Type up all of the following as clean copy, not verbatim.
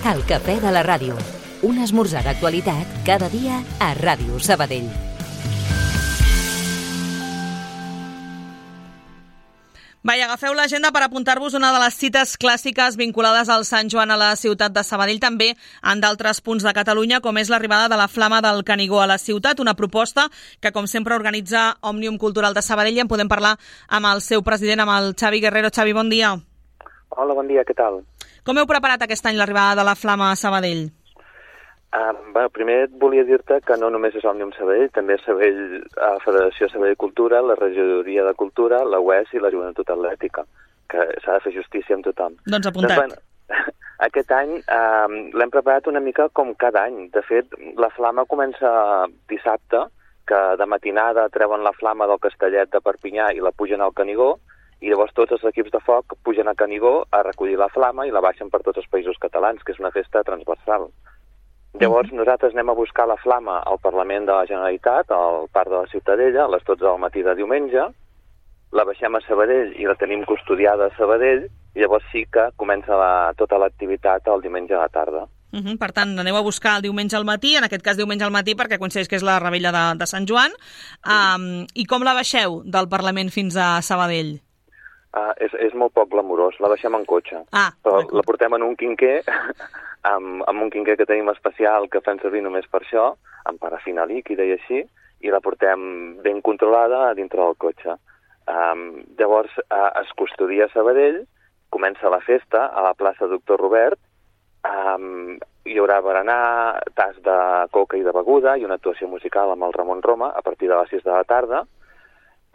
El cafè de la ràdio. Un esmorzar d'actualitat cada dia a Ràdio Sabadell. Agafeu l'agenda per apuntar-vos una de les cites clàssiques vinculades al Sant Joan a la ciutat de Sabadell, també en d'altres punts de Catalunya, com és l'arribada de la Flama del Canigó a la ciutat, una proposta que, com sempre, organitza Òmnium Cultural de Sabadell, i en podem parlar amb el seu president, amb el Xavi Guerrero. Xavi, bon dia. Hola, bon dia, què tal? Com heu preparat aquest any l'arribada de la Flama a Sabadell? Primer volia dir-te que no només és Òmnium Sabadell, també és Federació Sabadell Cultura, la Regidoria de Cultura, la UES i la Joventut Atlètica, que s'ha de fer justícia amb tothom. Doncs apuntat. Aquest any l'hem preparat una mica com cada any. De fet, la Flama comença dissabte, que de matinada treuen la Flama del Castellet de Perpinyà i la pugen al Canigó, i llavors tots els equips de foc pugen a Canigó a recollir la Flama i la baixen per tots els països catalans, que és una festa transversal. Llavors nosaltres anem a buscar la Flama al Parlament de la Generalitat, al Parc de la Ciutadella, a les 12 del matí de diumenge, la baixem a Sabadell i la tenim custodiada a Sabadell, i llavors sí que comença tota l'activitat el diumenge a la tarda. Per tant, aneu a buscar el diumenge al matí, en aquest cas diumenge al matí, perquè coincideix que és la revetlla de Sant Joan. I com la baixeu del Parlament fins a Sabadell? És molt poc glamurós, la baixem en cotxe. Però la portem en un quinquer, amb un quinquer que tenim especial que fem servir només per això, amb parafina líquida i així, i la portem ben controlada dintre del cotxe. Llavors es custodia a Sabadell, comença la festa a la plaça Doctor Robert, hi haurà berenar, tas de coca i de beguda i una actuació musical amb el Ramon Roma a partir de les 6 de la tarda.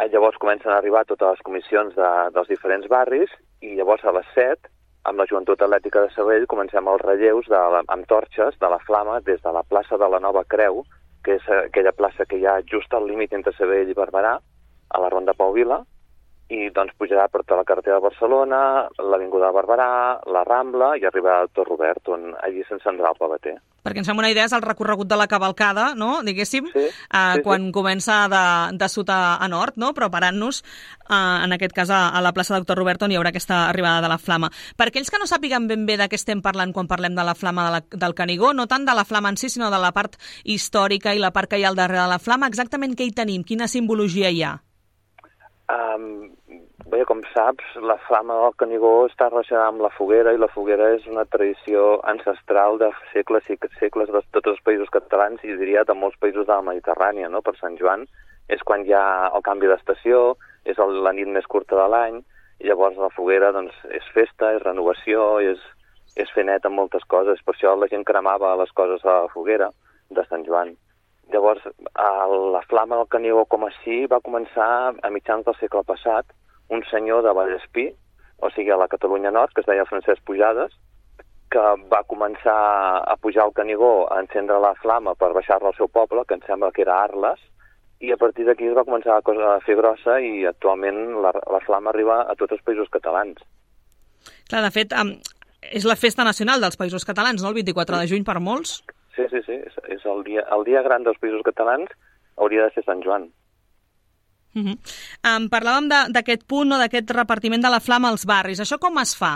Llavors comencen a arribar totes les comissions dels diferents barris i llavors a les 7, amb la Joventut Atlètica de Sabadell, comencem els relleus amb torxes de la Flama des de la plaça de la Nova Creu, que és aquella plaça que hi ha just al límit entre Sabadell i Barberà, a la Ronda Pau Vila, i doncs pujarà per tota la carretera de Barcelona, l'Avinguda de Barberà, la Rambla i arribarà al Tor Robert, on allí s'encendrà el pavater. Perquè ens fem una idea, és el recorregut de la cavalcada, no?, diguéssim, quan comença de sud a nord, no?, preparant-nos, en aquest cas, a la plaça Doctor Robert, on hi haurà aquesta arribada de la Flama. Per aquells que no sàpiguen ben bé de què estem parlant quan parlem de la Flama del Canigó, no tant de la Flama en si, sinó de la part històrica i la part que hi ha al darrere de la Flama, exactament què hi tenim? Quina simbologia hi ha? Bé, com saps, la Flama del Canigó està relacionada amb la foguera, i la foguera és una tradició ancestral de segles i segles de tots els països catalans, i diria de molts països de la Mediterrània, no? Per Sant Joan és quan hi ha el canvi d'estació, és la nit més curta de l'any, i llavors la foguera doncs, és festa, és renovació, és fer net amb moltes coses. Per això la gent cremava les coses a la foguera de Sant Joan. Llavors, la Flama del Canigó com així va començar a mitjans del segle passat. Un senyor de Vallespí, o sigui a la Catalunya Nord, que es deia Francesc Pujades, que va començar a pujar al Canigó, a encendre la Flama per baixar-la al seu poble, que em sembla que era Arles, i a partir d'aquí es va començar la cosa a fer grossa, i actualment la Flama arriba a tots els països catalans. Clar, de fet, és la festa nacional dels països catalans, no?, el 24 de juny per molts. Sí, és el dia gran dels països catalans, hauria de ser Sant Joan. Parlàvem d'aquest punt, no, d'aquest repartiment de la Flama als barris. Això com es fa?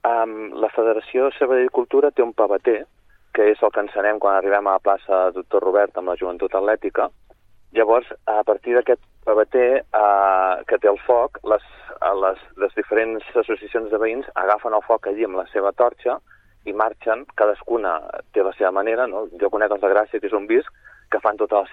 La Federació Sabadell Cultura té un pavater, que és el que encenem quan arribem a la plaça Doctor Robert amb la Joventut Atlètica. Llavors, a partir d'aquest pavater que té el foc, les diferents associacions de veïns agafen el foc allí amb la seva torxa i marxen, cadascuna té la seva manera, no? Jo conec els de Gràcia, que és un bisc, que fan tot el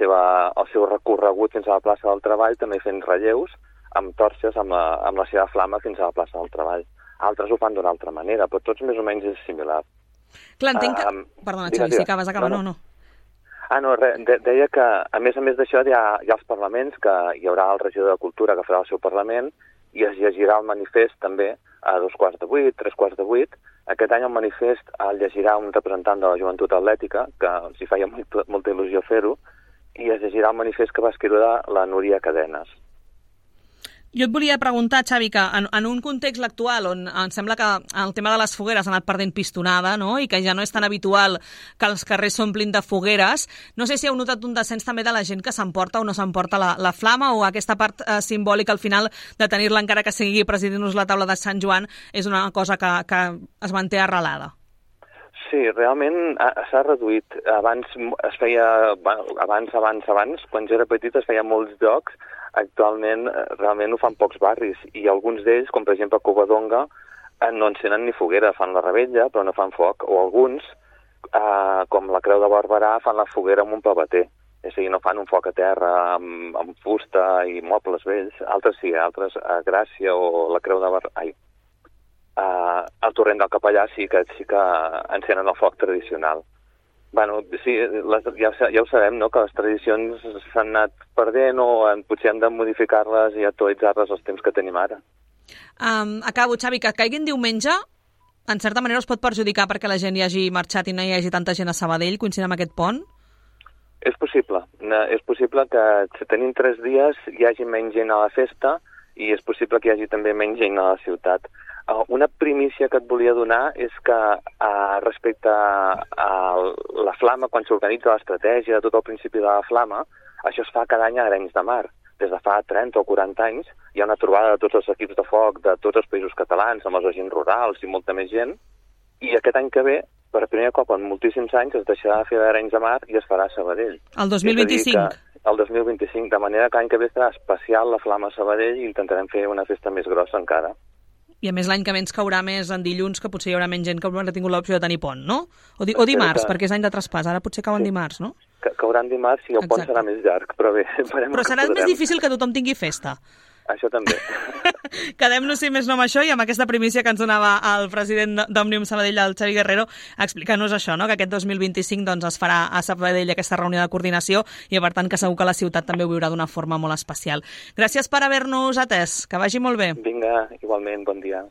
seu recorregut fins a la plaça del Treball, també fent relleus amb torxes amb la seva Flama fins a la plaça del Treball. Altres ho fan d'una altra manera, però tots més o menys és similar. Clar, entenc que... Perdona, Xavi, si acabes, no. Deia que, a més d'això, hi ha els parlaments, que hi haurà el regidor de Cultura que farà el seu Parlament, i es llegirà el manifest també a 7:45, 7:45. Aquest any el manifest el llegirà un representant de la Joventut Atlètica, que els hi feia molta il·lusió fer-ho, i es llegirà el manifest que va escriure la Núria Cadenes. Jo et volia preguntar, Xavi, que en un context actual on em sembla que el tema de les fogueres ha anat perdent pistonada, no?, i que ja no és tan habitual que els carrers s'omplin de fogueres, no sé si heu notat un descens també de la gent que s'emporta o no s'emporta la Flama, o aquesta part simbòlica al final de tenir-la, encara que sigui presidint-nos la taula de Sant Joan, és una cosa que es manté arrelada. Sí, realment s'ha reduït. Abans es feia, abans, quan jo era petit es feia molts jocs. Actualment realment ho fan pocs barris i alguns d'ells, com per exemple Covadonga, no encenen ni foguera, fan la revetlla però no fan foc, o alguns, com la Creu de Barberà, fan la foguera amb un pavater, és a dir, no fan un foc a terra amb fusta i mobles vells. Altres sí, altres a Gràcia o la Creu de Barberà, al Torrent del Capellà sí que encenen el foc tradicional. Bueno, sí, ja ho sabem, no?, que les tradicions s'han anat perdent o potser hem de modificar-les i actualitzar-les als temps que tenim ara. Acabo, Xavi, que caiguin diumenge, en certa manera us pot perjudicar perquè la gent hi hagi marxat i no hi hagi tanta gent a Sabadell coincidint amb aquest pont? És possible que si tenim 3 dies hi hagi menys gent a la festa i és possible que hi hagi també menys gent a la ciutat. Una primícia que et volia donar és que respecte a la Flama, quan s'organitza l'estratègia, tot el principi de la Flama, això es fa cada any a Arenys de Mar. Des de fa 30 o 40 anys hi ha una trobada de tots els equips de foc de tots els països catalans, amb els agents rurals i molta més gent, i aquest any que ve, per primer cop en moltíssims anys, es deixarà de fer d'Arenys de Mar i es farà a Sabadell. El 2025? El 2025, de manera que l'any que ve serà especial la Flama a Sabadell i intentarem fer una festa més grossa encara. I a més l'any que ve ens caurà més en dilluns, que potser hi haurà menys gent que haurà tingut l'opció de tenir pont, no? O dimarts, perquè és any de traspàs, ara potser cauen dimarts, no? Cauran dimarts i el pont serà més llarg, però bé... Però serà més difícil que tothom tingui festa. Això també. Quedem-nos, si més no, amb això i amb aquesta primícia que ens donava el president d'Òmnium Sabadell, el Xavi Guerrero, explicant-nos això, no?, que aquest 2025 doncs, es farà a Sabadell aquesta reunió de coordinació i, per tant, que segur que la ciutat també ho viurà d'una forma molt especial. Gràcies per haver-nos atès. Que vagi molt bé. Vinga, igualment, bon dia.